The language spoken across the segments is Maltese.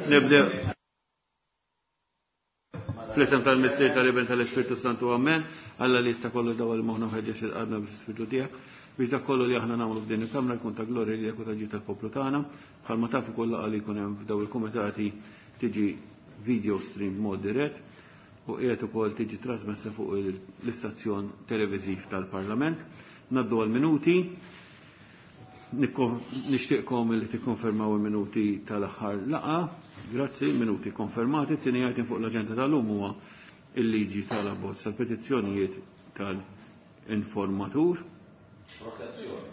Nibdew. Fl-isem tal-Missier tal-Iben tal-Ispirtu Santu Amen. Alla li jista' kollu dawwal moħħna u ħeġġeġ il-qalbna bl-Ispirtu tiegħek biex dak kollu li aħna nagħmlu f'din il-Kamra jkun ta' glorja lilek u ta' ġid tal-poplu tagħna. Bħalma tafu kull laqgħa li jkun hemm f'daw il-kumitati tiġi video stream b'mod dirett u qiegħed ukoll tiġi trasmessa fuq l-istazzjon televiżiv tal-Parlament. Naddu għal-minuti. Nixtieqkom li tikkonfermaw il-minuti tal-aħħar laqgħa. Grazzi, minuti konfermati. Tieni item fuq l-aġenda tal-lum huwa il-liġi tal-abbozz tal-petizzjonijiet tal-informatur. Protezzjoni.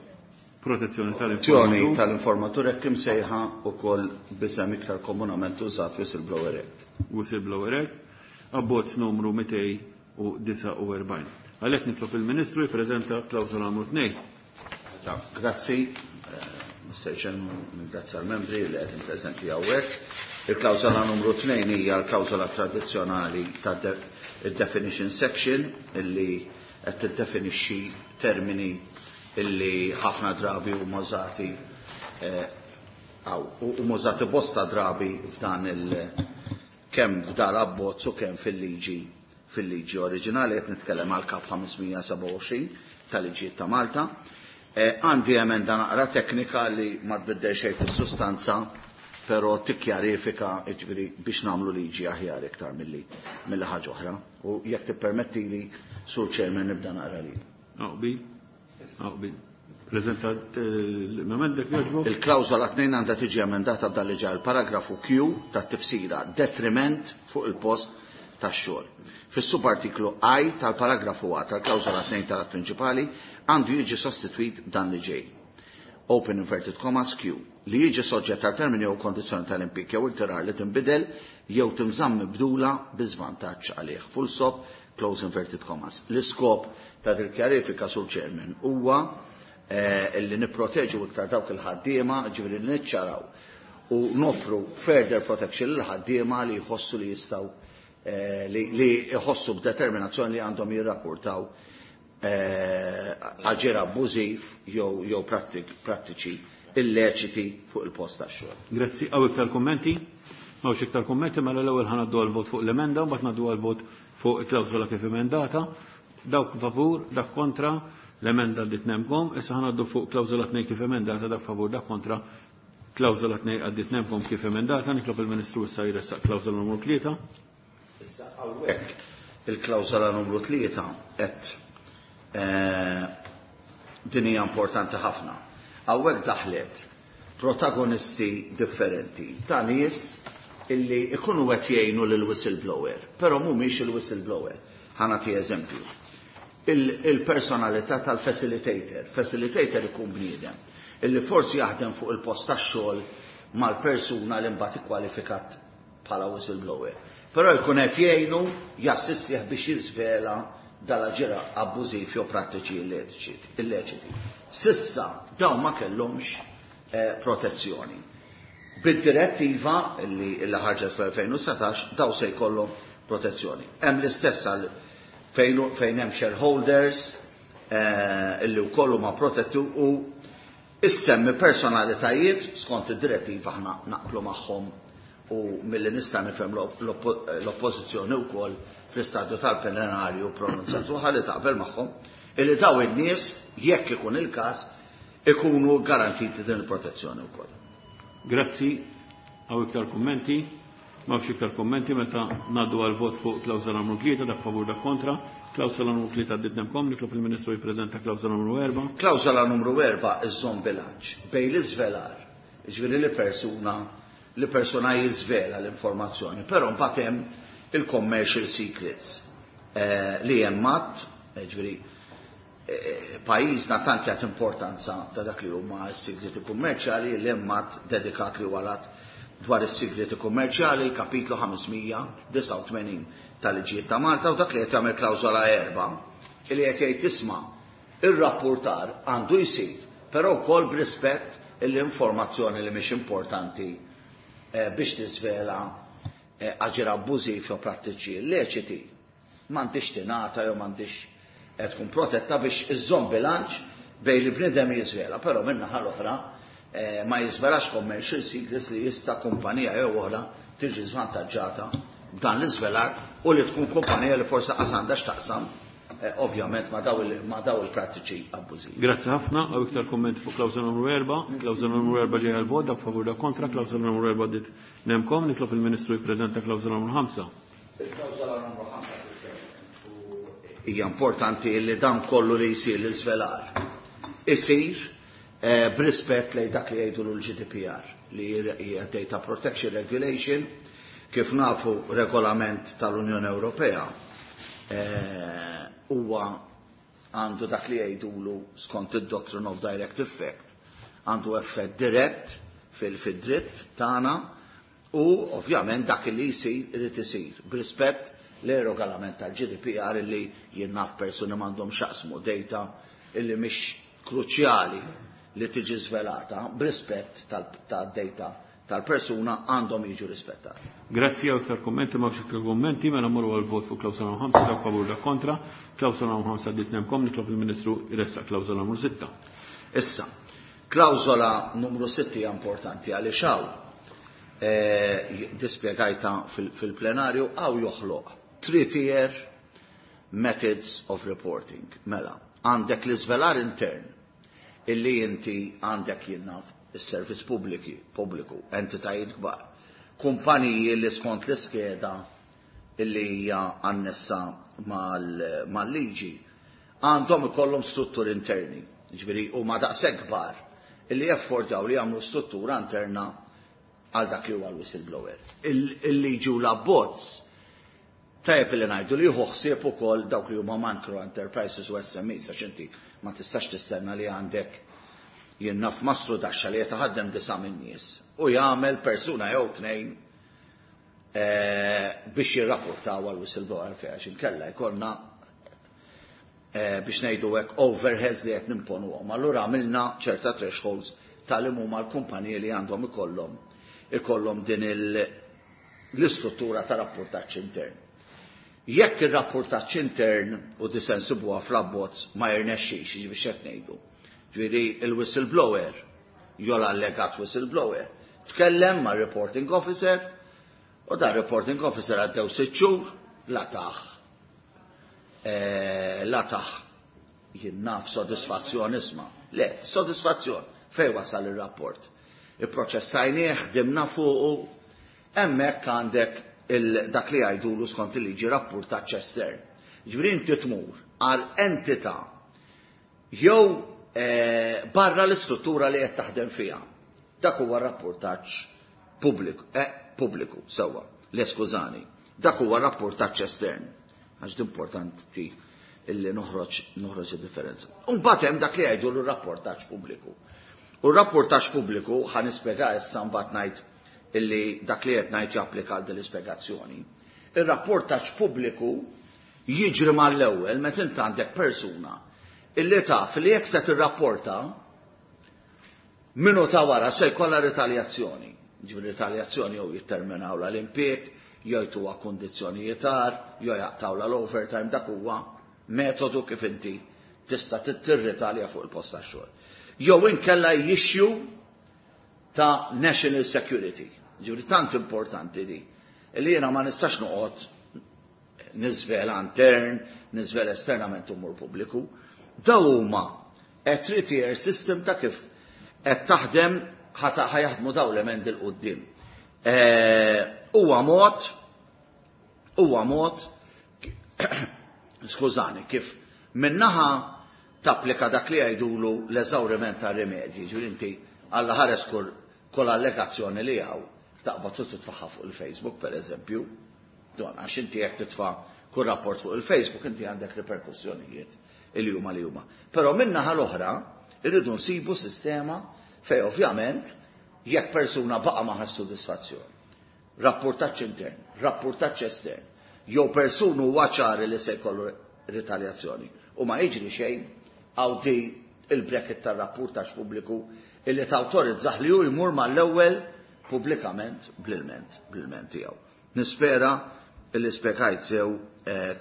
Protezzjoni tal-informatur. Tal-informatur hekk imsejħa wkoll b'isem iktar komunament użat Whistleblower Act. Whistleblower Act, abbozz numru 249. Għalhekk nitlob il-Ministru jippreżenta klawsola numru 2. Grazzi, Mr. Chairman, grazzi għal-membri li qegħdin preżenti hawnhekk. Il-klawsola numru 2 hija l-klawsola tradizzjonali ta' definition section illi qed tiddefinixxi termini illi ħafna drabi huma użati huma użati bosta drabi f'dan il kemm f'dar abbozz u kemm fil-liġi fil-liġi oriġinali qed nitkellem għal kap 527 tal-liġijiet ta' Malta. Għandi emenda naqra teknika li ma tbiddel xejn fis-sustanza, però tikkjarifika jiġifieri biex nagħmlu liġi aħjar iktar milli milli ħaġa oħra. U jekk tippermettili, Sur Chairman, nibda naqra li. Aqbi, aqbi. Prezentat l-emenda jogħġbok? Il-klawżola 2 għandha tiġi emendata b'dan li ġej il-paragrafu Q tat-tifsira detriment fuq il-post tax-xogħol. Fis-subartiklu I tal-paragrafu A tal-klawżola 2 tal-att prinċipali għandu jiġi sostitwit b'dan li ġej. Open inverted commas Q. Li jiġi soġġett għal termini jew kondizzjoni tal-impjieg jew irtirar li tinbidel jew tinżamm mibdula bi żvantaġġ għalih. Full stop, close inverted commas. L-iskop ta' dil-kjarifika Sur Chairman huwa illi nipproteġu iktar dawk il-ħaddiema, ġifieri li niċċaraw u nofru further protection lil ħaddiema li jħossu li jistgħu li jħossu b'determinazzjoni li għandhom jirrapportaw aġir abbużiv jew prattiċi illeċiti fuq il-post tax-xogħol. Grazzi. Hawn iktar kummenti? M'hawnx iktar kummenti, mela l-ewwel ħa ngħaddu għall-vot fuq l-emenda u mbagħad ngħaddu għall-vot fuq il-klawsola kif emendata. Dawk favur, dak kontra, l-emenda għaddiet nemkom. Issa ħa ngħaddu fuq klawsola 2 kif emendata, dak favur, dak kontra, klawsola 2 għaddiet nemkom kif emendata. Nitlob il-Ministru issa jressaq klawsola numru 3. Issa hawnhekk il-klawsola numru 3 qed din hija importanti ħafna. Hawnhekk daħlet protagonisti differenti ta' nies illi ikunu qed jgħinu lil whistleblower, però mhumiex il-whistleblower. Ħa nagħti eżempju. Il-personalità tal-facilitator. Facilitator ikun bniedem illi forsi jaħdem fuq il-post tax-xogħol mal-persuna li mbagħad ikkwalifikat bħala whistleblower. Però jkun qed jgħinu jassistih biex jiżvela dal-aġir abbużiv jew prattiċi illeċiti. Sissa dawn ma kellhomx protezzjoni. Bid-direttiva li ħarġet fl-2019 daw se jkollhom protezzjoni. Hemm l-istess għal fejn hemm shareholders illi wkoll huma protetti u issemmi personalitajiet skont id-direttiva aħna naqblu magħhom u milli nista' nifhem l-oppożizzjoni wkoll fl-istadju tal-plenarju pronunzjat ruħha li taqbel magħhom illi daw in-nies jekk ikun il-każ ikunu garantiti din il-protezzjoni wkoll. Grazzi. Hawn iktar kummenti? M'hawnx iktar kummenti meta ngħaddu għal vot fuq klawsola numru 3 dak favur dak kontra. Klawsola numru 3 għaddiet nemkom, nitlob il-Ministru jippreżenta klawsola numru 4. Klawsola numru 4 iżżomm bilanċ bejn l-iżvelar, jiġifieri li persuna li persuna jiżvela l-informazzjoni, però mbagħad hemm il-commercial secrets li hemm att, jiġifieri pajjiżna tant jagħti importanza ta' dak li huma s-sigreti kummerċjali li hemm att dedikat li huwa l-att dwar is-sigreti kummerċjali, kapitlu 589 tal-liġijiet ta' Malta, u dak li qed jagħmel klawżola 4 li qed jgħid isma' ir-rapportar għandu jsir, però wkoll b'rispett l-informazzjoni li mhix importanti biex tiżvela aġir abbużiv jew prattiċi illeċiti m'għandix tingħata jew m'għandix tkun protetta biex iżżomm bilanċ bejn li bniedem jiżvela, però min-naħa l-oħra ma jiżvelax commercial secrets li jista' kumpanija jew oħra tiġi żvantaġġata b'dan l-iżvelar u li tkun kumpanija li forsi qas għandha x'taqsam ovvjament ma' daw il-prattiċi abbużivi. Grazzi ħafna, hawn iktar kummenti fuq klawżola numru 4. Klawżola numru 4 ġejja l-vot, dak favur, dak kontra, klawżola numru 4 dit nemkom, nitlob il-Ministru jippreżenta klawżola numru 5. Il-klawżola numru 5 hija importanti li dan kollu li jsir l-iżvelar isir b'rispett lejn dak li jgħidu l-GDPR, li hija Data Protection Regulation. Kif nafu, regolament tal-Unjoni Ewropea huwa għandu dak li jgħidulu skont id-Doctrine of Direct Effect, għandu effett dirett fil-dritt tagħna u ovvjament dak li jsir irid isir b'rispett li regolament tal-GDPR, li jien naf persuni m'għandhom x'jaqsmu, data illi mhix kruċjali li tiġi żvelata, b'rispett tad-data tal-persuna għandhom jiġu rispettati. Grazzi, hawn iktar kummenti? M'hawnx iktar kummenti, mela mmorru għal vot fuq klawsola numru 5, dak favur, dak kontra. Klawsola numru 5 għaddiet nemkom, nitlob il-Ministru jressaq klawsola numru 6. Issa, klawsola numru 6 hija importanti għaliex hawn dispjegajta fil-plenarju, hawn joħloq three-tier methods of reporting. Mela, għandek l-iżvelar intern illi inti għandek, jien naf, is-servizz pubbliku, entitajiet kbar, kumpaniji li skont l-iskeda illi hija annessa mal-liġi għandhom ikollhom strutturi interni. Ġifieri huma daqshekk kbar illi jaffordjaw li jagħmlu struttura interna għal dak li huwa l-whistleblower. Il-liġi u l-abbozz tajjeb li ngħidu li jieħu ħsieb ukoll dawk li huma micro enterprises u SMEs, għax inti ma tistax tistenna li għandek, jien naf, mastrudaxxa li jitaħaddem 9 minn nies u jagħmel persuna jew tnejn biex jirrapportaw għal whistleblower fejn, għax inkella jkollna, biex ngħidu hekk, overheads li qed nimponuhom. Allura għamilna ċerta thresholds tal huma l-kumpaniji li għandhom ikollhom din l-istruttura ta' rapportaġġ intern. Jekk ir-rapportaġġ intern u disensibuha fl-abbozz ma jirnexxix, biex qed ngħidu, ġifieri il-whistleblower jew l-allegat whistleblower tkellem ma' reporting officer u da reporting officer għaddew 6 xhur la taħ, jien naf, sodisfazzjon, isma'. Le, sodisfazzjon fej wasal il-rapport. Ipproċessajnieh, ħdimna fuqu, hemmhekk għandek dak li jgħidulu skont il-liġi rapportaġġ estern. Ġifieri inti tmur għal entità jew barra l-istruttura li qed taħdem fiha. Dak huwa rapportaġġ pubbliku, sewwa, le, skużani. Dak huwa rapportaġġ estern. Għax importanti illi noħroġ id-differenza. Mbagħad hemm dak li jgħidu l-rapportaġġ pubbliku. U r-rapportaġġ pubbliku ħa nispjega issa, mbagħad ngħid illi dak li qed ngħid japplika għal din l-ispjegazzjoni. Ir-rapportaġġ pubbliku jiġri mal-ewwel meta int għandek persuna illi taf li jekk se tirrapporta minuta wara se jkollha ritaljazzjoni. Ġifieri ritaljazzjoni jew jitterminaw l-impjieg, jew jtuha kundizzjonijiet agħar, jew jaqtawla l-overtime, dak huwa metodu kif inti tista' tirritalja fuq il-post tax-xogħol. Jew inkella issue ta' national security. Ġifieri tant importanti di li jiena ma nistax noqgħod niżvela intern, niżvela esternament umur pubbliku. Daw huma a three-tier system ta' kif qed taħdem, ħa jaħdmu daw l-emendi 'l quddiem. Huwa mod, skużani, kif minnaħa tapplika dak li jgħidulu l-eżawriment ta' rimedji, ġifieri inti Alla ħares kull allegazzjoni li hawn taqbad titfaħħa fuq il-Facebook, per eżempju, don, għax inti jekk titfa' kull rapport fuq il-Facebook inti għandek riperkussjonijiet il huma li huma. Però minnaħa l-oħra irridu nsibu sistema fej ovvjament jekk persuna baqa ma ħass sodisfazzjon, rapportaġġ intern, rapportaġġ estern, jew persunu huwa ċari li se jkollu ritaljazzjoni u ma jiġri xejn, hawn di il-bracket tar-rapportaġġ pubbliku illi tawtorizzah li hu jmur mal-ewwel pubblikament bl-ilment tiegħu. Nispera illi spjegajt sew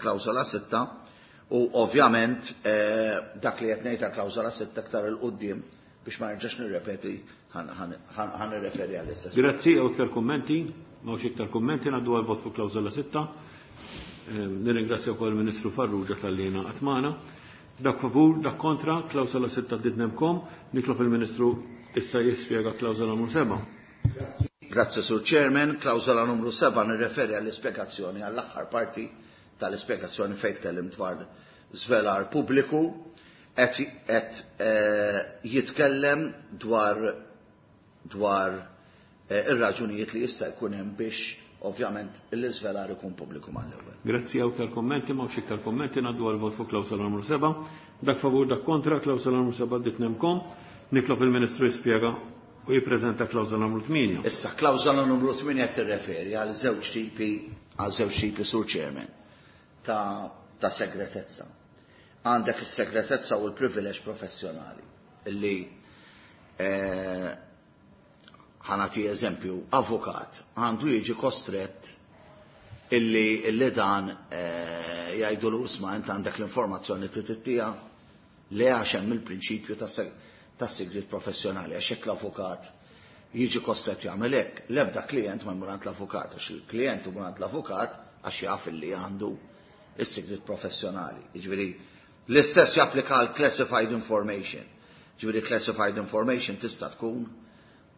klawsola 6 u ovvjament dak li qed ngħid klawsola 6 aktar 'il quddiem. Biex ma nerġax nirrepeti ħa nirreferi għall-istess. Grazzi, hawn iktar kummenti? M'hawnx iktar kummenti, ngħaddu għal vot fuq klawżola 6. Nirringrazzja wkoll il-Ministru Farrugia talli ingħaqad magħna. Dak favur, dak kontra, klawżola 6 għaddiet nemkom. Nitlob il-Ministru issa jispjega klawżola numru 7. Grazzi, Sur Chairman. Klawżola numru 7 nirreferi għall-ispjegazzjoni, għall-aħħar parti tal-ispjegazzjoni fejn tkellimt dwar żvelar pubbliku. Qed jitkellem dwar dwar ir-raġunijiet li jista' jkun hemm biex ovvjament l-iżvelar ikun pubbliku mal-ewwel. Grazzi, hawn iktar kummenti? M'hawnx iktar kummenti, ngħaddu għall-vot fuq klawsola numru 7. Dak favur, dak kontra, klawsola numru 7 għaddiet nemkom. Nitlob il-Ministru jispjega u jippreżenta klawsola numru 8. Issa, klawsola numru 8 qed tirreferi għal żewġ tipi għal żewġ tipi Sur Chairman ta' ta' segretezza. Għandek is-segretezza u l-privileġġ professjonali illi ħa nagħti eżempju, avukat għandu jiġi kostrett illi illi dan jgħidulu isma' int għandek l-informazzjoni tittiha le għax hemm il-prinċipju ta' sigriet professjonali għax jekk l-avukat jiġi kostrett jagħmel hekk, l-ebda klient ma jmur għand l-avukat għax il-klient imur għand l-avukat għax jaf illi għandu is-sigriet professjonali. Jiġifieri l-istess japplika għal classified information. Ġifieri classified information tista' tkun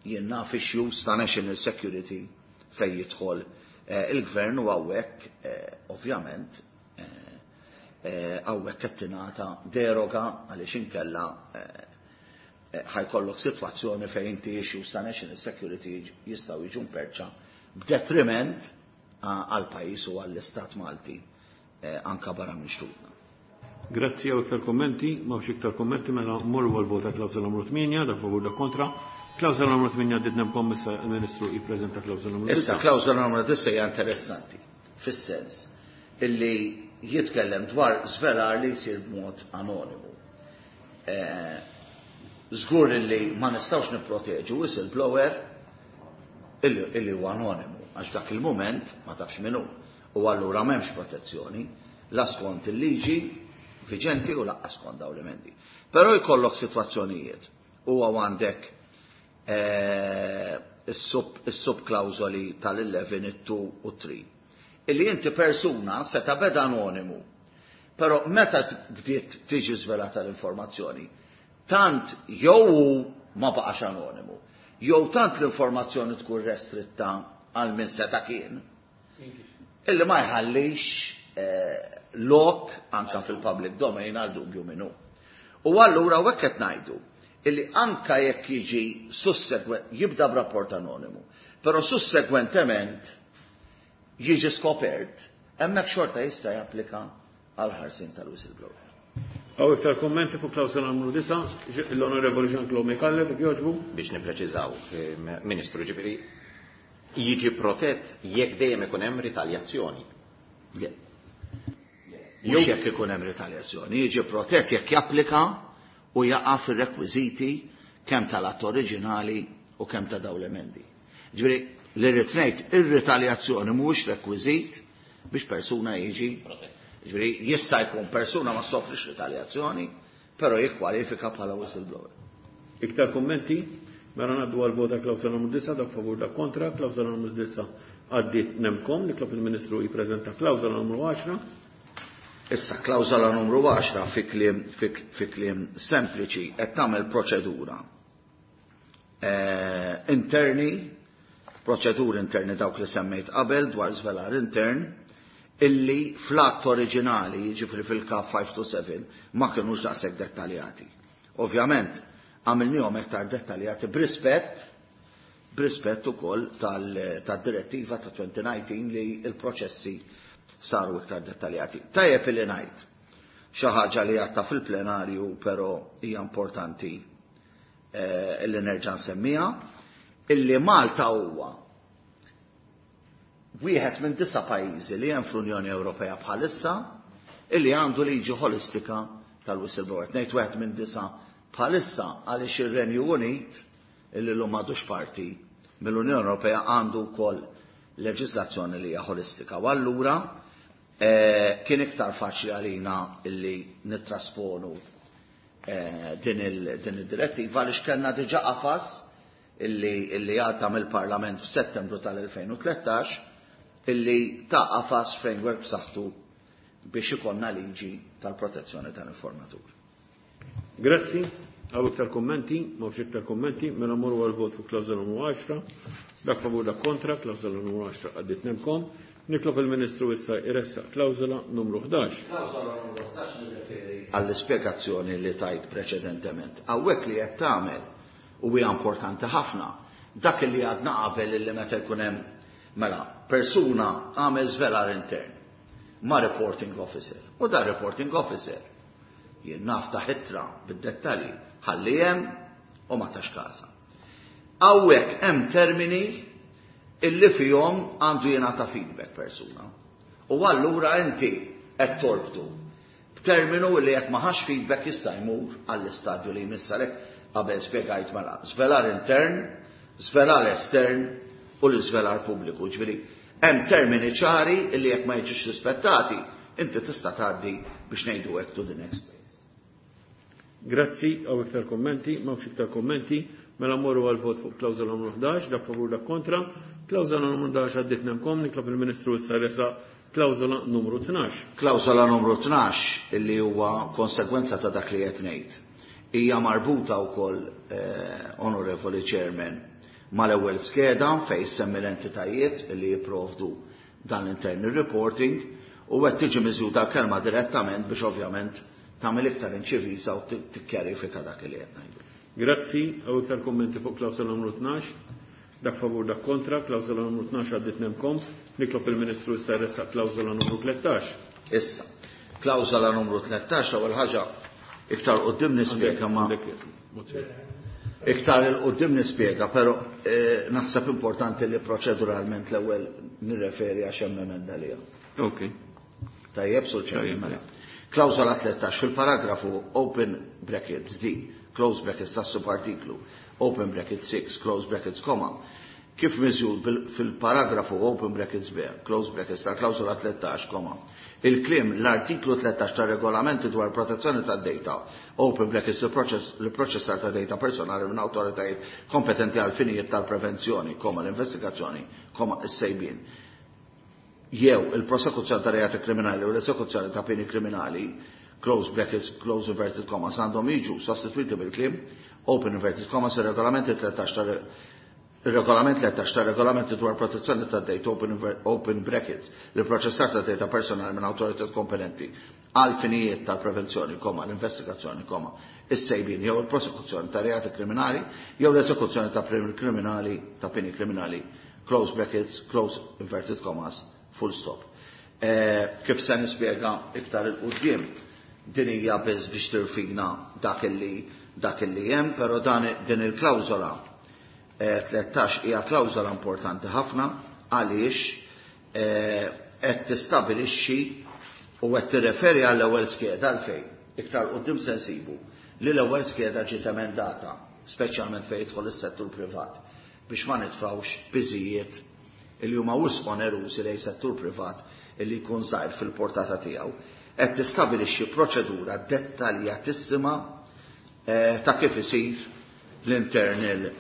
jien naf issues ta' national security fejn jidħol il-gvern u hawnhekk ovvjament hawnhekk qed tingħata deroga għaliex inkella ħa jkollok sitwazzjoni fejn inti issues ta' national security jistgħu jiġu mperċa b'detriment għall-pajjiż u għall-istat Malti anka barra minn xtutna. Grazzi, hawn iktar kummenti? M'hawnx iktar kummenti, mela mmorru għal-vot ta' klawsola numru 8, dak favur, dak kontra. Klawsola numru 8 għaddiet nemkom, issa il-Ministru jippreżenta klawsola numru 9. Issa klawsola numru 9 hija interessanti fis-sens illi jitkellem dwar żvelar li jsir b'mod anonimu. Żgur illi ma nistgħux nipproteġu whistleblower illi huwa anonimu għax dak il-mument ma tafx min hu u allura m'hemmx protezzjoni la skont il-liġi viġenti u lanqas skont dawn l-emendi. Però jkollok sitwazzjonijiet u għandek is-subklawżoli tal-11, it-2 u 3. Illi inti persuna seta' beda anonimu, però meta bdiet tiġi żvelata l-informazzjoni, tant jew ma baqax anonimu, jew tant l-informazzjoni tkun restritta għal min seta' kien, illi ma jħallix lok anka fil-public domain għal dubju minnu. U allura u qed ngħidu illi anka jekk jiġi sussegwent, jibda b'rapport anonimu, però sussegwentement jiġi skopert, hemmhekk xorta jista' japplika għal ħarsien tal-whistleblower. Hawn iktar kummenti fuq klawsola numru 9, l-Onorevoli Jean-Claude Micallef, jogħġbu. Biex nipreċiżaw, Ministru, ġifieri jiġi protett jekk dejjem ikun hemm ritaljazzjoni. Mhux jekk ikun hemm ritaljazzjoni, jiġi protett jekk japplika u jaqa' fir-rekwiżiti kemm tal-att oriġinali u kemm ta' dawn l-emendi. Ġifieri li rrid ngħid ir-ritaljazzjoni mhuwiex rekwiżit biex persuna jiġi Ġifieri jista' jkun persuna ma soffrix ritaljazzjoni, però jikkwalifika bħala whistleblower. Iktar kummenti? Mela ngħaddu għal vota klawsola numru 9, dak favur, dak kontra, klawsola numru 9 għaddiet nemkom, nitlob il-Ministru jippreżenta klawsola numru 10. Issa klawsola numru 10 fi kliem sempliċi qed tagħmel proċedura interni, proċeduri interni dawk li semmejt qabel dwar żvelar intern, illi fl-att oriġinali, jiġifieri fil-K 527, ma kienux daqshekk dettaljati. Ovvjament, għamilnihom iktar dettaljati b'rispett ukoll tad-direttiva ta' 2019 li l-proċessi saru iktar dettaljati. Tajjeb illi ngħid xi ħaġa li għadta fil-plenarju però hija importanti illi nerġa' nsemmiha, illi Malta huwa wieħed minn 9 pajjiżi li hemm fl-Unjoni Ewropea bħalissa illi għandu liġi ħolistika tal-whistleblower. Ngħid wieħed minn 9 bħalissa għaliex ir-Renju Unit illi llum m'għadux parti mill-Unjoni Ewropea għandu wkoll leġiżlazzjoni li hija ħolistika. U allura kien iktar faċli għalina illi nittrasponu din id-direttiva għaliex kellna diġà qafas illi għadda mill-Parlament f'Settembru tal-2013 illi ta qafas framework b'saħħtu biex ikollna liġi tal-protezzjoni tal-informatur. Grazzi. Hawn iktar kummenti, m'hawnx iktar kummenti, mela mmorru għal-vot fuq klawżola numru 10. Dak favur, dak kontra, klawżola numru 10 għaddiet nemkom. Nitlob il-Ministru issa jressaq klawżola numru 11. Klawżola numru 11 nirreferi għall-ispjegazzjoni li tajt preċedentement. Hawnhekk li qed tagħmel u hija importanti ħafna, dak li għadna qabel illi meta jkun hemm, mela, persuna għamel żvelar intern ma' reporting officer. U da reporting officer jien naf ta' ittra bid-dettalji ħalli hemm u ma tax kasa. Hawnhekk hemm termini illi fihom għandu jingħata feedback persuna. U allura inti qed torbtu b'terminu li jekk ma ħax feedback jista' jmur għall-istadju li jmiss. Għalhekk qabel spjegajt, mela, żvelar intern, żvelar estern u l-iżvelar pubbliku. Ġifieri hemm termini ċari illi jekk ma jiġux rispettati, inti tista' tgħaddi, biex ngħidu hekk, to the next phase. Grazzi, hawn iktar kommenti, m'hawnx iktar kommenti, mela mmorru għal vot fuq klawżola numru 11, dak favur, dak kontra. Klawżola numru 11 għaddiet nemkom, nitlob il-Ministru issa jressaq klawżola numru 12. Klawżola numru 12 illi huwa konsegwenza ta' dak li qed ngħid. Hija marbuta wkoll, Onorevoli Chairman, mal-ewwel skeda fejn semmi l-entitajiet li jipprovdu dan l-internal reporting u qed tiġi miżjuda kelma "direttament" biex ovvjament tagħmel iktar inċiviża u tikkjarifika dak li qed ngħidu. Grazzi, hawn iktar kommenti fuq klawżola numru 12. Dak favur, dak kontra, klawżola numru 12 għaddiet nemkom. Nitlob il-Ministru issa jressaq klawżola numru 13. Issa, klawżola numru 13, ewwel ħaġa, iktar quddiem nispjega ma iktar 'il quddiem nispjega, però naħseb importanti li proċeduralment l-ewwel nirreferi għax hemm emenda li Ok. Tajjeb, Sur Chairman, mela. Klawżola 13, fil-paragrafu open brackets D, close brackets tas subartiklu, open brackets 6, close brackets comma, kif miżjud fil-paragrafu open brackets B, close brackets ta' klawżola 13, comma, il-kliem "l-artiklu 13 ta' regolamenti dwar protezzjoni ta' data, open brackets l-proċessar ta' data personali minn awtoritajiet kompetenti għal finijiet tal-prevenzjoni, comma, l-investigazzjoni, comma, is-sejbien jew il-prosekuzzjoni ta' reati kriminali u l-esekuzzjoni ta' pieni kriminali, close brackets, close inverted commas, għandhom jiġu sostituiti bil-kliem open inverted commas il-regolamenti 13 ta' il-regolament 13 ta' regolamenti dwar protezzjoni ta' data, open brackets l-proċessar ta' data personali minn awtoritajiet kompetenti għal finijiet tal-prevenzjoni, comma, l-investigazzjoni, comma, is-sejbin jew il-prosekuzzjoni ta' reati kriminali jew l-esekuzzjoni ta' pieni kriminali ta' pieni kriminali, close brackets, close inverted commas, full stop. Kif se nispjega iktar 'il quddiem, din hija biss biex tirfina dak illi hemm, però din il-klawżola 13 hija klawżola importanti ħafna għaliex qed tistabilixxi u qed tirreferi għall-ewwel skeda, għalfejn iktar quddiem se nsibu li l-ewwel skeda ġiet emendata, speċjalment fejn jidħol is-settur privat, biex ma nitfgħux piżijiet li huma wisq onerużi lejn settur privat illi jkun żgħir fil-portata tiegħu. Qed tistabilixxi proċedura dettaljatissima ta' kif isir l-internal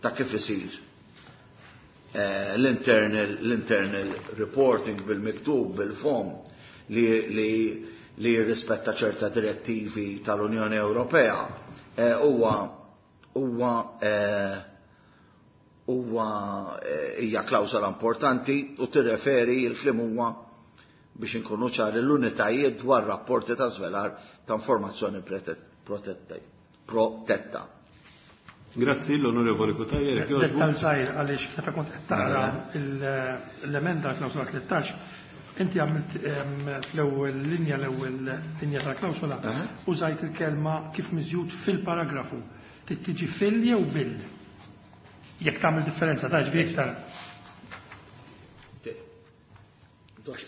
ta' kif isir l-internal reporting bil-miktub, bil-fom li jirrispetta ċerta direttivi tal-Unjoni Ewropea. Huwa hija klawsola importanti u tirreferi, il-kliem huwa, biex inkunu ċari, l-unitajiet dwar rapporti ta' żvelar ta' informazzjoni protetta. Grazzi, l-Onorevoli Cutajar. Dettal żgħir, għaliex meta kont qed taqra l-emenda klawsola 13, inti għamilt fl-ewwel linja, l-ewwel linja tal-klawsola, użajt il-kelma "kif miżjud fil-paragrafu". Trid tiġi "fil" jew "bil"? Jekk tagħmel differenza ta' ġifieri iktar.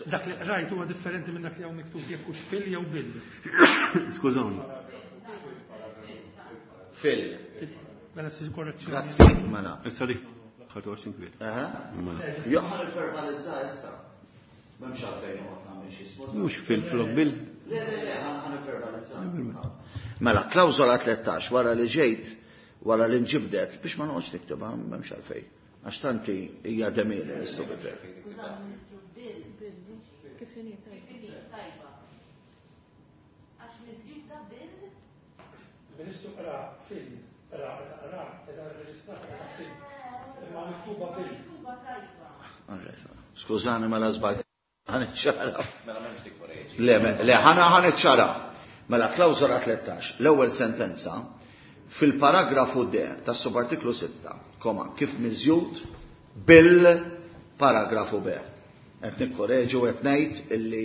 Dak li rajt huwa differenti minn dak li hawn miktub, jekk hux "fil" jew "bil". Skużawni. Fil. Mela ssir korrezzjoni. Grazzi, mela. Issa dik ħadu għaxin kwiet. Mela. Jo, ħa niffermalizza issa. M'hemmx għalfejn noqgħod nagħmel xi sport. Mhux "fil" flok "bil". Le, le, le, ħa nivverbalizza. Mela, klawżola 13 wara li ġejt, wara li nġibdet, biex ma noqgħodx niktibha, m'hemmx għalfejn. Għax tanti hija de minimis to be fair. Kif inhi tajba? Għax miżjuda bil Ministru qra fil, qra, qra, qra, reġistrata fil. Imma miktuba bil. Miktuba tajba. Skużani mela żball. Ħa niċċara. Mela m'hemmx tikkoreġi. Le, le, ħana ħa niċċara. Mela klawżola 13, l-ewwel sentenza, fil-paragrafu D tas-subartiklu 6, koma, kif miżjud bil-paragrafu B. Qed nikkoreġu qed ngħid illi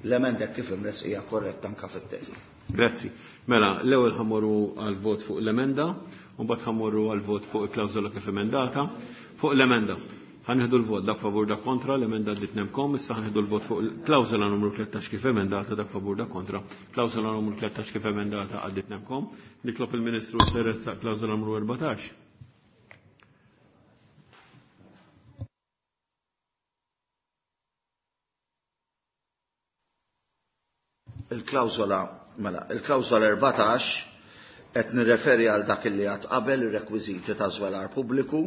l-emenda kif imressqa hija korretta anka fit-test. Grazzi. Mela, l-ewwel ħa mmorru għal vot fuq l-emenda, u mbagħad ħa mmorru għal vot fuq il-klawżola kif emendata. Fuq l-emenda. Ħa nieħdu l-vot dak favur, dak kontra, l-emenda għaddiet nemkom, issa ħa nieħdu l-vot fuq il-klawżola numru 13 kif emendata, dak favur, dak kontra. Klawżola numru 13 kif emendata għaddiet nemkom. Nitlob il-Ministru jressaq klawżola numru 14. Il-klawżola, mela, il-klawżola 14 qed nirreferi għal dak li għad qabel, ir-rekwiżiti ta' żvelar pubbliku,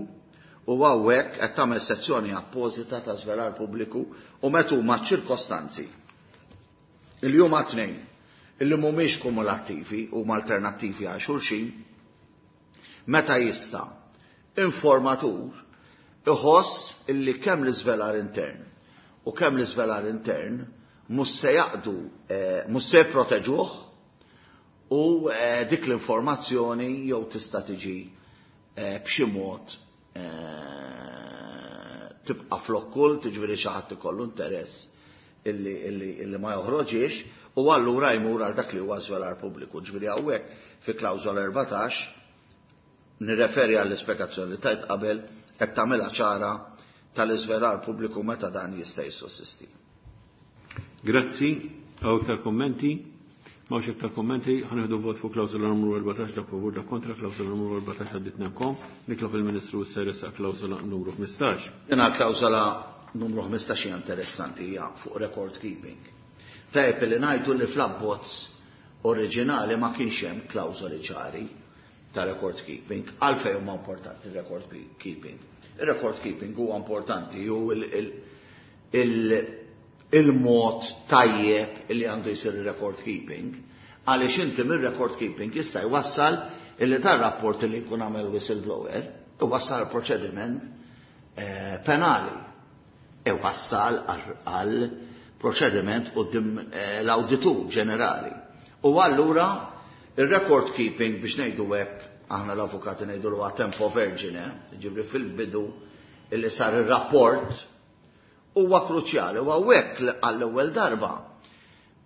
u hawnhekk qed tagħmel sezzjoni appożita ta' żvelar pubbliku u meta huma ċirkostanzi. Il huma tnejn illi mhumiex kumulattivi, huma alternattivi għal xulxin, meta jista' informatur iħoss illi kemm l-iżvelar intern u kemm l-iżvelar intern mhux se jaqdu, mhux se jproteġuh u dik l-informazzjoni jew tista' tiġi b'xi mod tibqa' fl-okkult, jiġifieri xi ħadd ikollu interess illi ma joħroġiex, u allura jmur għal dak li huwa żvelar pubbliku. Ġifieri hawnhekk fi klawżola 14 nirreferi għall-ispjegazzjoni li tajt qabel, qed tagħmilha ċara tal-iżvelar pubbliku meta dan jista' jissussisti. Grazzi. Hawn iktar kommenti? M'hawnx iktar kommenti, ħa nieħdu vot fuq klawżola numru 14, dak favur, dak kontra, klawżola numru 14 għaddiet nemkom. Nitlob il-Ministru jressaq klawżola numru 15. Dina klawżola numru 15 hija interessanti, hija fuq record keeping. Tajjeb li ngħidu li fl-abbozz oriġinali ma kienx hemm klawżoli ċari ta' record keeping. Għalfejn huma importanti record keeping? Il-record keeping huwa importanti ju il-mod tajjeb li għandu jsir il-record keeping, għaliex inti mir-record keeping jista' jwassal illi dar rapport li jkun għamel whistleblower iwassal proċediment penali, iwassal għal proċediment quddiem l-awditur ġenerali. U allura il-record keeping, biex ngħidu hekk, aħna l-avukati ngħidu l tempo vergine, ġifieri fil-bidu illi sar ir-rapport, huwa kruċjali. U hawnhekk għall-ewwel darba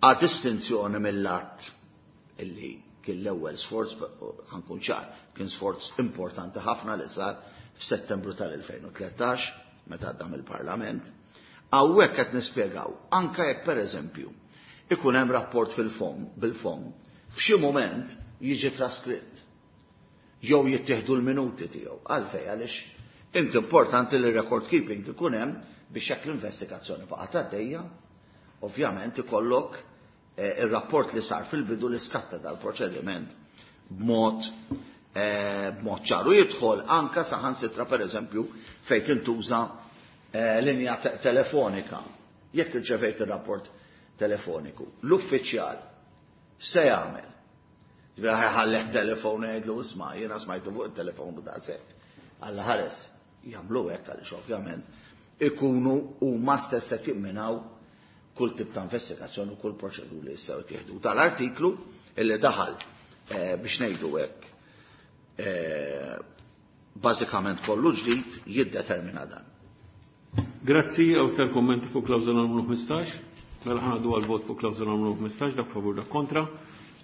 għad distinzjoni mill-att illi kien l-ewwel sforz, ħa nkun ċar, kien sforz importanti ħafna li sar f'Settembru tal-2013 meta għadda mill-Parlament. Hawnhekk qed nispjegaw anke jekk pereżempju ikun hemm rapport fil-fom, bil-fom, f'xi moment jiġi traskritt jew jittieħdu l-minuti tiegħu. Għalfejn? Għaliex inti importanti li record keeping ikun hemm biex jekk l-investigazzjoni baqgħet għaddejja, ovvjament ikollok ir-rapport li sar fil-bidu li skatta dal-proċediment b'mod ċaru. Jidħol anka saħansitra pereżempju fejn tintuża linja telefonika. Jekk irċevejt ir-rapport telefoniku, l-uffiċjal se jagħmel? Ġifieri ħa jħallih telefon jgħidlu isma', jiena smajtu fuq it-telefon u daqshekk. Alla ħares jagħmlu hekk għaliex ovvjament ikunu huma stess qed jimminaw kull tip ta' investigazzjoni u kull proċeduri li jistgħu jittieħdu. Tal-artiklu illi daħal, biex ngħidu hekk, bażikament kollu ġdid jiddetermina dan. Grazzi, hawn iktar kommenti fuq klawżola numru 15? Mela ħa ngħaddu għal vot fuq klawżola numru 15, dak favur, dak kontra.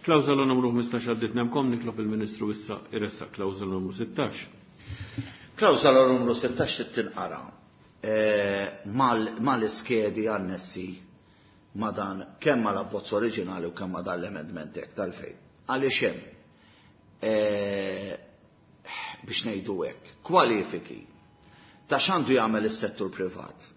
Klawżola numru 15 għaddiet nemkom, nitlob il-Ministru issa jressaq klawżola numru 16. Klawżola numru 16 tinqara mal-iskedi annessi ma dan, kemm mal abbozz oriġinali u kemm ma dan l-amendment hekk tal-fejn. Għaliex hemm, biex ngħidu hekk, kwalifiki ta' x'għandu jagħmel is-settur privat.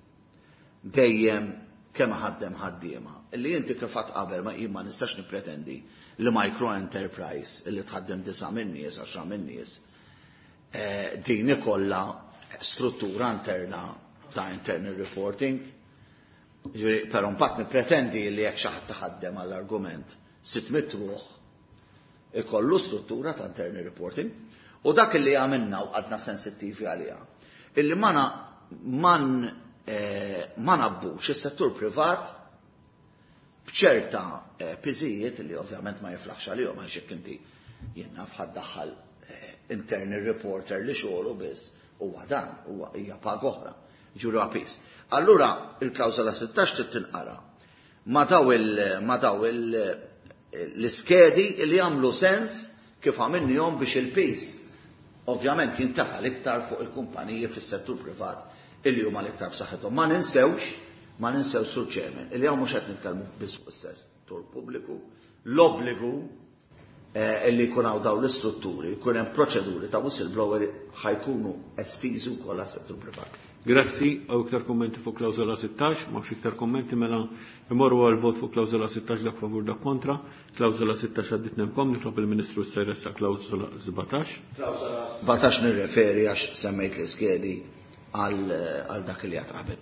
Dejjem kemm ħaddem ħaddiema. Illi inti kif għedt qabel ma jien ma nistax nippretendi li micro enterprise illi tħaddem 9 min-nies, 10 min-nies, din ikollha struttura interna ta' internal reporting. Ġifieri, però mbagħad nippretendi li jekk xi ħadd taħaddem għall-argument 600 ruħ ikollu struttura ta' internal reporting. U dak li għamilna u għadna sensittivi għaliha. Illi ma ngħabbux is-settur privat b'ċerta piżijiet li ovvjament ma jiflaħx għalihom, għax jekk inti jien naf ħa ddaħħal internal reporter li xogħlu biss huwa dan, huwa hija paga oħra, ġuru piż. Allura il-klawżola 16 trid tinqara ma daw l-iskedi li jagħmlu sens kif għamilnihom biex il-piż ovvjament jintefa' l-iktar fuq il-kumpaniji fis-settur privat illi huma l-iktar b'saħħithom. Ma ninsewx, Sur Chairman, illi hawn mhux qed nitkellmu biss fuq is-settur pubbliku, l-obbligu illi jkun hawn dawn l-istrutturi, jkun hemm proċeduri ta' whistleblower ħa jkunu estiżi wkoll għas-settur privat. Grazzi, hawn iktar kommenti fuq klawżola 16, m'hawnx iktar kommenti, mela imorru għal vot fuq klawżola 16, dak favur, dak kontra. Klawżola 16 għaddit nemkom, nitlob il-Ministru s-seressa klawżola 17. Klawżola 17 nirreferi, għax semmejt l-iskedi, għal dak li għedt qabel.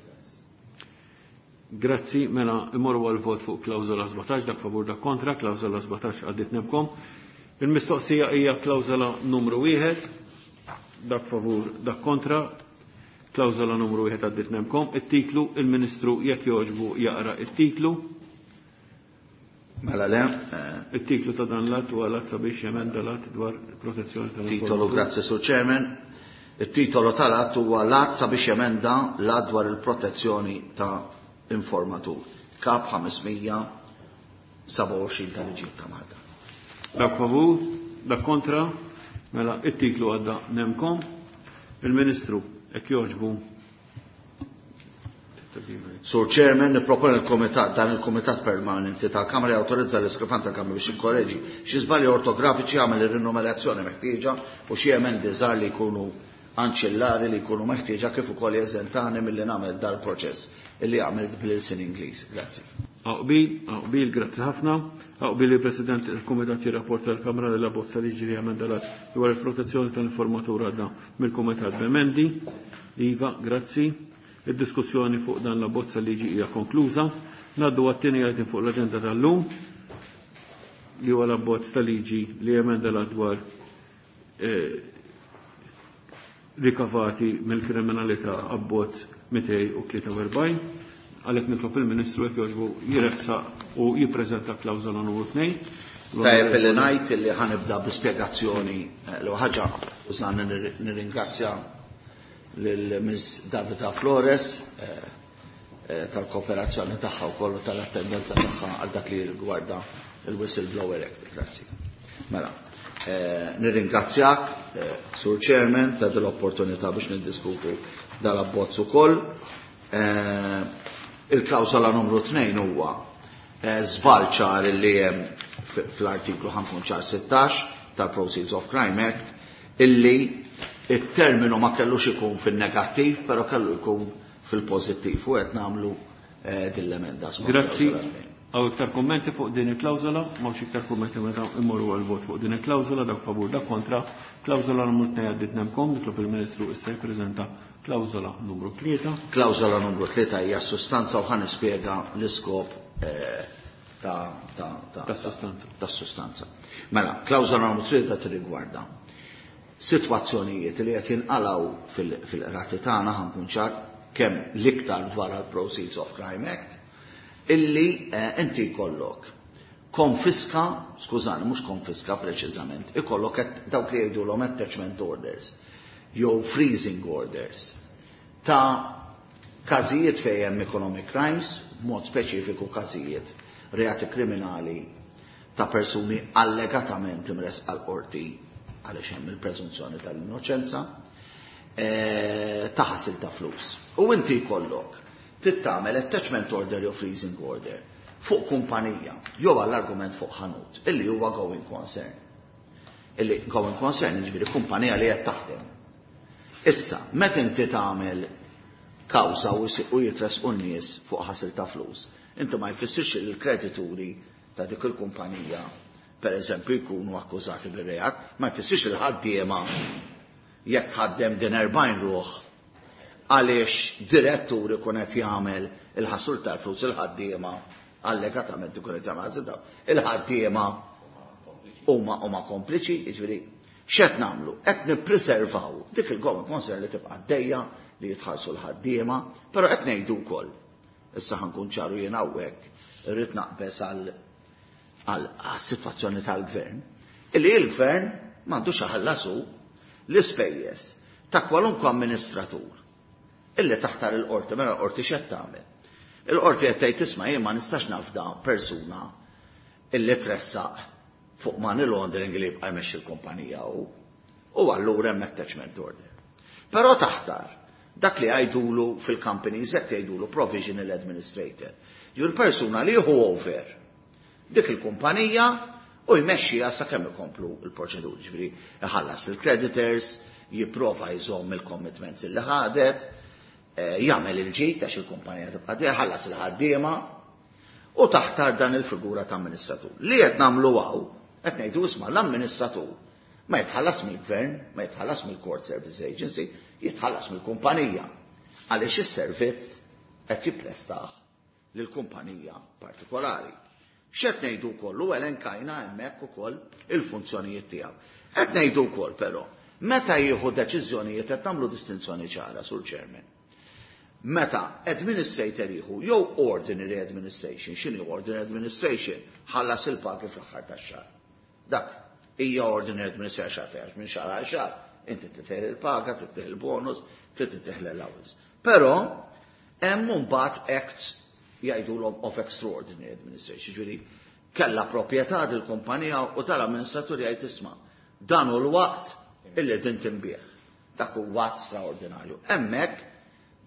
Grazzi, mela imorru għal vot fuq klawżola 17, dak favur, dak kontra, klawżola 17 għaddit nemkom. Il-mistoqsija hija klawżola numru 1, dak favur, dak kontra, klawżola numru 1 għaddit nemkom. It-titlu, il-Ministru jekk jogħġbu jaqra it-titlu. Mela le. Il-titlu ta' dan l-att huwa l-att sabiex jemenda l-att dwar protezzjoni tal Titolu, grazzi, Sur Chairman. Il-titolu tal-att huwa l-att sabiex jemenda l-att dwar il-protezzjoni ta' informatur. Kap 527 tal-liġi ta' Malta. Dak favur, dak kontra, mela it-titlu għadda nemkom. Il-Ministru, jekk jogħġbu. Sur Chairman, niproponi il-Komitat, dan il-Komitat Permanenti tal-Kamra jawtorizza l-Iskrifan tal-Kamra biex jikkoreġi xi żbalji ortografiċi, jagħmel ir-rinumerazzjoni meħtieġa u xi emendi żgħar li jkunu anċillari li jkunu meħtieġa, kif ukoll jeżentani milli nagħmel dal-proċess illi għamilt bl-ilsien Ingliż. Grazzi. Aqbil, aqbil, grazzi ħafna. Aqbil li President il-Komitat jirrapporta l-Kamra li la bozza liġi li jemenda l-att dwar il-protezzjoni tal-informatur għadda mill-Komitat b'emendi. Iva, grazzi. Id-diskussjoni fuq dan la bozza liġi hija konkluża. Ngħaddu għat-tieni item fuq l-aġenda tal-lum, li huwa l-abbozz ta' liġi li jemenda l-att dwar rikavati mill-kriminalità, abbozz 243. Għalhekk nitlob il-Ministru jekk jogħġbu jressaq u jippreżenta klawżola numru 2. Tajjeb li ngħid li ħa nibda bi spjegazzjoni l ħaġa użan nirringrazzja lil Ms. Davida Flores tal-kooperazzjoni tagħha u kollu tal-attendenza tagħha għal dak li rigwarda il-Whistleblower Act. Grazzi. Mela, nirringrazzjak, Sur Chairman, ta' dil-opportunità biex niddiskutu dal-abbozz ukoll. Il-klawsola numru 2 huwa żball ċar li hemm fl-artiklu 5 16 tal-Proceeds of Crime Act, illi il-terminu ma kellux ikun fil-negattiv, pero kellu jkun fil-pozittiv u qed nagħmlu din l-emenda skont Grazzi. klawsola 2. Hawn iktar kommenti fuq din il-klawżola? M'hawnx iktar kommenti, meta immorru għal vot fuq din il-klawżola, dak favur, dak kontra. Klawżola numru 2 għaddit nemkom, nitlob il-Ministru issa jippreżenta klawżola numru 3. Klawżola numru 3 hija sustanza u ħa nispjega l-iskop ta' Tas-sustanza. Tas-sustanza. Mela, klawżola numru 3 tirrigwarda sitwazzjonijiet li qed jinqalgħu fil-qrati tagħna, ħa nkun ċar, kemm l-iktar dwar il-Proceeds of Crime Act, illi inti jkollok konfiska, skużani, mhux konfiska preċiżament, ikollok dawk li jgħidulhom attachment orders jew freezing orders ta' każijiet fejn hemm economic crimes, b'mod speċifiku każijiet reati kriminali ta' persuni allegatament imressqa l-qorti, għaliex hemm il-preżunzjoni tal-innoċenza, ta' ħasil ta' flus. U inti jkollok trid tagħmel attachment order jew freezing order fuq kumpanija jew għall-argument fuq ħanut illi huwa going concern. Illi going concern jiġifieri kumpanija li qed taħdem. Issa, meta inti tagħmel kawża u jitressqu n-nies fuq ħasil ta' flus, inti ma jfissirx li l-kredituri ta' dik il-kumpanija per eżempju jkunu akkużati bir-reat, ma jfissirx li l-ħaddiema jekk ħaddem din 40 ruħ għaliex direttur ikun qed jagħmel il-ħasul tal-flus, il-ħaddiema allegatament ikun qed jagħmel ħasil tal il-ħaddiema huma kompliċi, jiġifieri x'qed nagħmlu? Qed nippreservaw dik il-going concern li tibqa' għaddejja li jitħallsu l-ħaddiema, però qed ngħidu wkoll. Issa ħa nkun ċaru jien hawnhekk irrid naqbeż għal sitwazzjoni tal-gvern, illi il-gvern m'għandux iħallasu l-ispejjeż ta' kwalunkwe amministratur illi taħtar il-qorti. Mela l-qorti x'qed tagħmel? Il-qorti qed tgħid, isma', jien ma nistax nafda persuna illi tressaq fuq money laundering li jibqa' jmexxi l-kumpanija u allura hemm attachment order. Però taħtar dak li jgħidulu fil-companies qed jgħidulu provisional administrator. Ġur persuna li jieħu over dik il-kumpanija u jmexxiha sakemm ikomplu il-proċeduri, ġifieri iħallas il-creditors, jipprova jżomm il-commitments li ħadet, jagħmel il-ġid għax il-kumpanija tibqa' ħallas il-ħaddiema u taħtar dan il-figura ta' amministratur. Li qed nagħmlu hawn, qed ngħidu, isma', l-amministratur ma jitħallas mill-gvern, ma jitħallas mill-Court Service Agency, jitħallas mill-kumpanija. Għaliex is-servizz qed jipprestah lill-kumpanija partikolari. X'qed ngħidu wkoll u elenkajna hemmhekk ukoll il-funzjonijiet tiegħu. Qed ngħidu wkoll però, meta jieħu deċiżjonijiet qed nagħmlu distinzjoni ċara, Sur Chairman. Meta administrator jieħu jew ordinary administration, x'inhi ordinary administration? Ħallas il-pagi fl-aħħar tax-xahar. Dak hija ordinary administration fejn minn xahar għal xahar. Inti titieħ il-paga, titieħ il-bonus, titieħ l-allowance. Però hemm mbagħad acts jgħidulhom of extraordinary administration, ġifieri kella proprjetà dil-kumpanija u tal-amministratur jgħid, isma', dan hu l-waqt illi din tinbiegħ. Dak huwa att straordinarju. Hemmhekk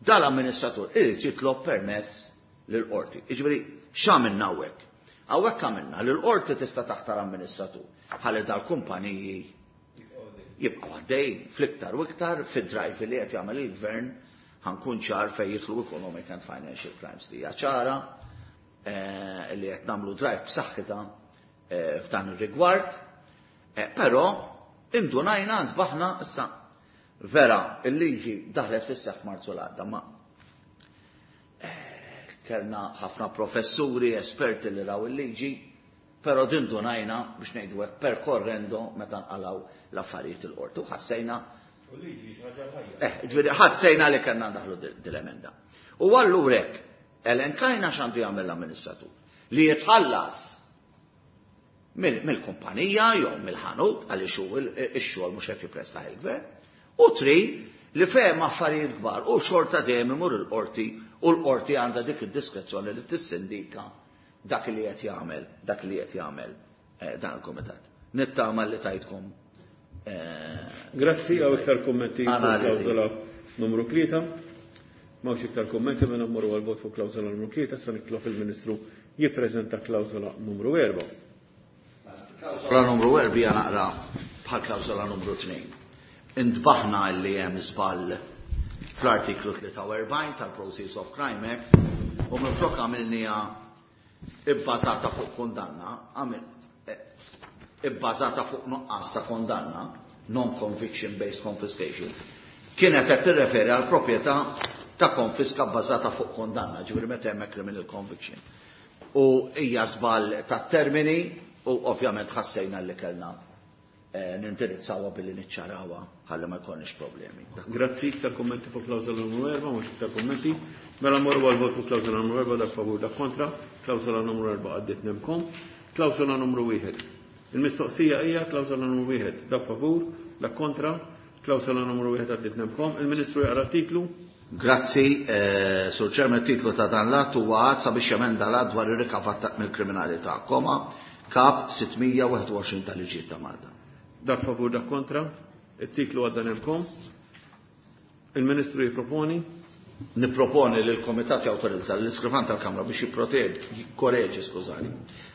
dal-amministratur irid jitlob permess lill-qorti. Jiġifieri x'għamilna hawnhekk? Hawnhekk għamilna li l-qorti tista' taħtar amministratur ħalli dal-kumpaniji jibqgħu għaddej fl-iktar u iktar fid-drive li qed jagħmel il-gvern, ħa nkun ċar, fejn jidħlu economic and financial crimes li hija ċara li qed nagħmlu drive b'saħħitha f'dan ir-rigward. Però indunajna ntbaħna issa vera il-liġi daħlet fis-seħħ Marzu l-għadda, ma kellna ħafna professuri, esperti li raw il-liġi, però din indunajna biex ngħidu hekk per correndo meta nqalaw l-affarijiet il-qorti u ħassejna U liġi ħaġa ħajja. Ġifieri ħassejna li kellna ndaħlu dil-emenda. U allura hekk elenkajna x'għandu jagħmel l-amministratur. Li jitħallas mill-kumpanija jew mill-ħanut għaliex hu ix-xogħol mhux qed jippresta il-gvern. U tri li fehem affarijiet kbar u xorta dejjem imur il-qorti u l-qorti għandha dik id-diskrezzjoni li tissindika dak li qed jagħmel, dak li qed jagħmel dan il-kumitat. Nittama li tajtkom Grazzi, hawn iktar kummenti fuq Analiżi. klawżola numru 3. M'hawnx iktar kummenti, mela mmorru għal-vot fuq klawżola numru 3, sa nitlob il-Ministru jippreżenta klawżola numru 4. Klawżola numru 4 hija naqra bħal klawżola numru 2. Intbaħna li hemm żball fl-artiklu 43 tal-Proceeds of Crime Act u minflok għamilniha ibbażata fuq kondanna, għamil ibbażata fuq nuqqas ta' kondanna, non-conviction based confiscation, kienet qed tirreferi għal proprjetà ta' konfiska bbażata fuq kondanna, ġifieri meta hemm criminal conviction. U hija żball ta' termini u ovvjament ħassejna li kellna nindirizzawha billi niċċarawha ħalli ma jkollniex problemi. Grazzi, iktar kummenti fuq klawżola numru 4, mhux iktar kummenti. Mela mmorru għal vot fuq klawżola numru 4, dak favur, dak kontra. Klawżola numru 4 għaddiet nemkom. Klawżola numru 1. Il-mistoqsija hija klawżola numru 1, dak favur, dak kontra. Klawżola numru 1 għaddiet nemkom. Il-Ministru jaqra titlu. Grazzi, Sur Chairman, titlu ta' dan l-att huwa att sabiex jemenda l-att dwar ir-rikavat mill-kriminalità, koma, kap 621 tal-liġijiet ta' Malta. Dak favur, dak kontra. Il-titlu għadda nemkom. Il-Ministru jipproponi. Niproponi li l-Komitat jawtorizza l-iskrivan tal-Kamra biex jipproteġi, jikkoreġi, skużani,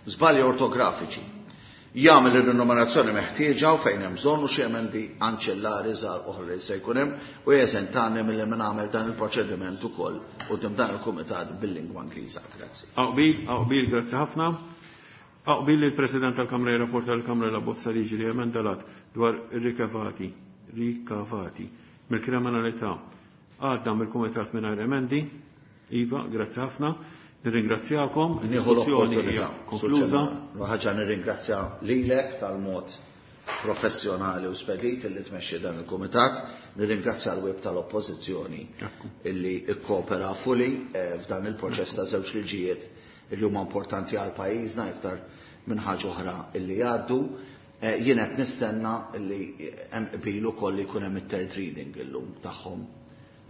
żbalji ortografiċi. Jagħmel ir-rinumerazzjoni meħtieġa u fejn hemm bżonn u xi emendi anċellari żgħar oħra li se jkun hemm u jeżentani milli nagħmel dan il-proċediment ukoll quddiem dan il-kumitat bil-lingwa Ingliża. Grazzi. Aqbil, aqbil, grazzi ħafna. Aqbil li l-President tal-Kamra jirrapporta l-Kamra l-abbozz ta' liġi li emenda l-att dwar ir-rikavati, rikavati mill-kriminalità għadda mill-Kumitat mingħajr emendi. Iva, grazzi ħafna. Nirringrazzjakom. Nieħu Id-diskussjoni hija l-opportunità. konkluża. Ħaġa nirringrazzja lilek tal-mod professjonali u spedit illi tmexxi dan il-kumitat, nirringrazzja l-web tal-Oppożizzjoni illi ikkopera fuli f'dan il-proċess ta' żewġ liġijiet illi huma importanti għal pajjiżna iktar minn ħaġa oħra illi jgħaddu. Jien qed nistenna illi hemm qbil ukoll li jkun hemm it-third reading illum tagħhom.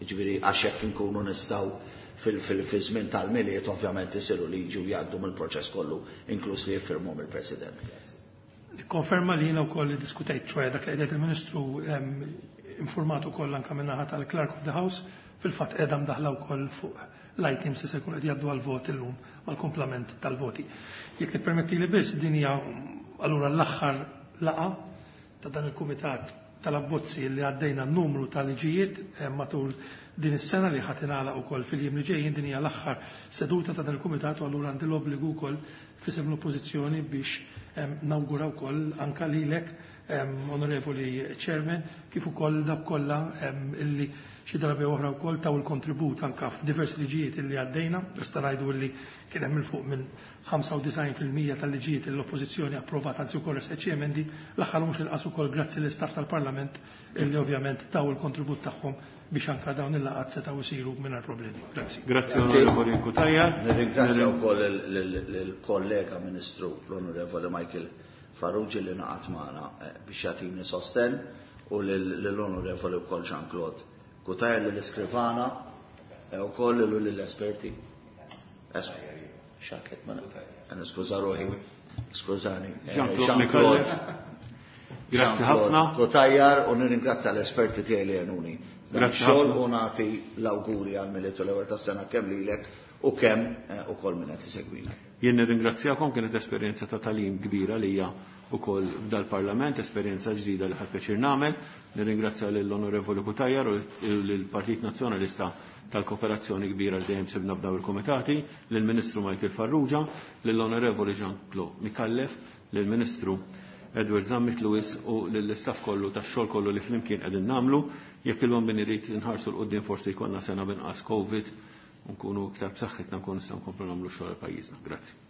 Jiġifieri għax hekk inkunu nistgħu fil-żmien tal-Milied ovvjament isiru liġi u jgħaddu mill-proċess kollu, inkluż li jiffirmhom il-President. Nikkonferma li jiena wkoll diskutejt, ċoħe dak li qed il-Ministru informat ukoll anke min-naħa tal-Clerk of the House, fil-fatt qiegħda mdaħla wkoll fuq l-items li se jkun qed jgħaddu għal-vot illum mal-kumplament tal-voti. Jekk tippermetti li biss, din hija allura l-aħħar laqgħa ta' dan il-kumitat tal-abbozzi li għaddejna n-numru tal-liġijiet matul din is-sena li ħadd ingħalaq ukoll fil-jiem li ġejjin. Din hija l-aħħar seduta ta' dan il-kumitat u allura għandi l-obbligu wkoll f'isem l-Oppożizzjoni biex nawgura wkoll anka lilek, Onorevoli Chairman, kif ukoll dak kollha illi xi darba oħra wkoll taw il-kontribut anka f'diversi liġijiet illi għaddejna. Nista' ngħidu illi kien hemm il fuq minn 95% tal-liġijiet li l-Oppożizzjoni approvat, anzi wkoll resqet xi emendi. L-aħħar mhux inqas ukoll grazzi l-istaff tal-Parlament illi ovvjament taw il-kontribut tagħhom biex anka dawn il-laqgħat setgħu jsiru mingħajr problemi. Grazzi. Grazzi, Onorevoli Cutajar. Nirringrazzja wkoll il-kollega Ministru l-Onorevoli Michael Farrugia li naqat magħna biex jagħtini sosten u lill-Onorevoli wkoll Jean-Claude Cutajar, lill-iskrivana wkoll u lill-esperti. Xatlek ma niskuża ruħi. Skużani. Jean-Claude Jean-Claude. Grazzi Jean-Claude ħafna. Cutajar, u nirringrazzja l-esperti tiegħi li għenuni. Dan Grazzi xogħol ħafna. u nagħti l-awguri għal Milied u l-ewwel tas-sena kemm lilek u kemm ukoll min qed isegwina. Jien nirringrazzjakom, kienet esperjenza ta' talim kbira li hija ukoll f'dal-Parlament, esperjenza ġdida li ħadt pjaċir nagħmel. Nirringrazzja lill-Onorevoli Cutajar u lill-Partit Nazzjonalista tal-kooperazzjoni kbira li dejjem sibna f'daw il-komitati, lill-Ministru Michael Farrugia, lill-Onorevoli Jean-Claude Micallef, lill-Ministru Edward Zammit Lewis u lill-istaff kollu tax-xogħol kollu li flimkien qegħdin nagħmlu. Jekk il-bambin irid inħarsu 'l quddiem forsi jkollna sena binqas COVID, nkunu iktar b'saħħitna, nkunu nistgħu nkomplu nagħmlu xogħol għal pajjiżna. Grazzi.